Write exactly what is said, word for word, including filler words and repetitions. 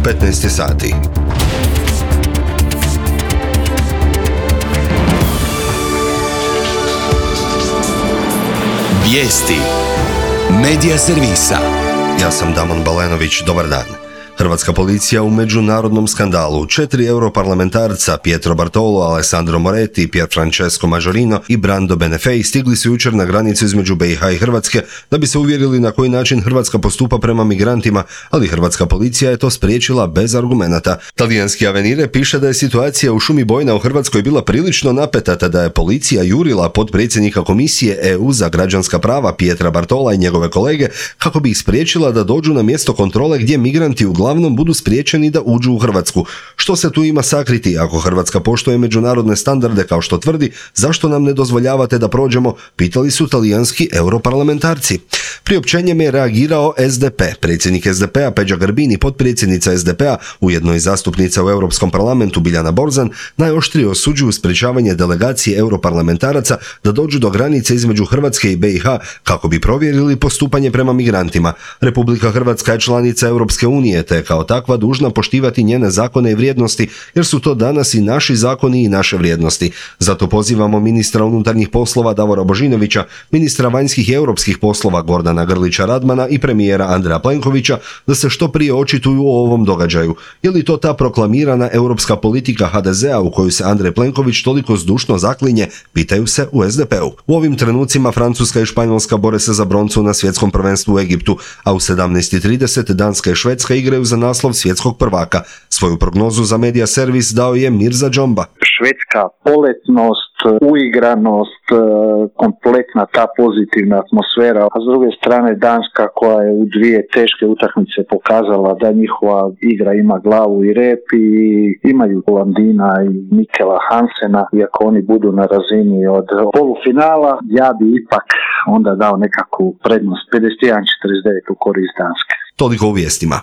petnaest je sati. Vijesti Medija servisa. Ja sam Damon Balenović, dobar dan. Hrvatska policija u međunarodnom skandalu. Četiri europarlamentarca, Pietro Bartolo, Alessandro Moretti, Pierfrancesco Majorino i Brando Benefei stigli su jučer na granicu između B i H i Hrvatske da bi se uvjerili na koji način Hrvatska postupa prema migrantima, ali hrvatska policija je to spriječila bez argumenata. Talijanski Avenire piše da je situacija u šumi bojna u Hrvatskoj bila prilično napeta, te da je policija jurila potpredsjednika Komisije E U za građanska prava Pietra Bartola i njegove kolege kako bi ih spriječila da dođu na mjesto kontrole gdje migranti uglavnom uglavnom budu spriječeni da uđu u Hrvatsku. Što se tu ima sakriti? Ako Hrvatska poštuje međunarodne standarde kao što tvrdi, zašto nam ne dozvoljavate da prođemo? Pitali su talijanski europarlamentarci. Priopćenjem je reagirao S D P. Predsjednik S D P-a Peđa Grbin i potpredsjednica S D P-a, ujedno i zastupnica u Europskom parlamentu Biljana Borzan, najoštrije osuđuju sprečavanje delegacije europarlamentaraca da dođu do granice između Hrvatske i B i H kako bi provjerili postupanje prema migrantima. Republika Hrvatska je članica Europske unije, te je kao takva dužna poštivati njene zakone i vrijednosti, jer su to danas i naši zakoni i naše vrijednosti. Zato pozivamo ministra unutarnjih poslova Davora Božinovića, ministra vanjskih i europskih poslova Gordana Grlića Radmana i premijera Andreja Plenkovića da se što prije očituju o ovom događaju. Je li to ta proklamirana europska politika H D Z-a u koju se Andrej Plenković toliko zdušno zaklinje, pitaju se u S D P-u. U ovim trenucima Francuska i Španjolska bore se za broncu na svjetskom prvenstvu u Egiptu, a u sedamnaest i trideset Danska i Švedska igraju za naslov svjetskog prvaka. Svoju prognozu za Medija servis dao je Mirza Džomba. Švedska poletnost, uigranost, kompletna ta pozitivna atmosfera, a s druge strane Danska koja je u dvije teške utakmice pokazala da njihova igra ima glavu i rep i imaju Landina i Mikela Hansena, iako oni budu na razini od polufinala, ja bi ipak onda dao nekakvu prednost pedeset jedan četrdeset devet u korist Danske. Toliko u vijestima.